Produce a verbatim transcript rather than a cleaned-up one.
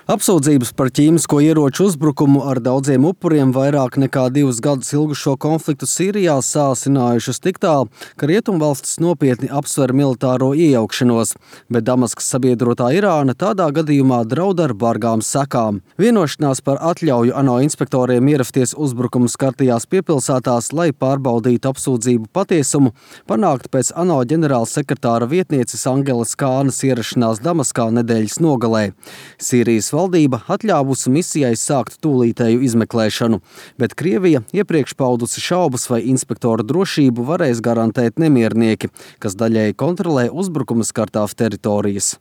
Apsūdzības par ķīmisko ieroču uzbrukumu ar daudziem upuriem vairāk nekā divus gadus ilgušo konfliktu Sīrijā sāsinājušas tik tālu, ka rietumvalstis nopietni apsver militāro iejaukšanos, bet Damaskas sabiedrotā Irāna tādā gadījumā draud ar bargām sekām. Vienošanās par atļauju ANO inspektoriem ierasties uzbrukumu skartajās piepilsētās, lai pārbaudītu apsūdzību patiesumu, panākt pēc ANO ģenerāla sekretāra vietnieces Angelas Kānas ierašanās Damaskā nedēļas nogalē. Sīrijas valdība atļāvusi misijai sākt tūlītēju izmeklēšanu, bet Krievija iepriekš paudusi šaubas, vai inspektoru drošību varēs garantēt nemiernieki, kas daļēji kontrolē uzbrukuma skartās teritorijas.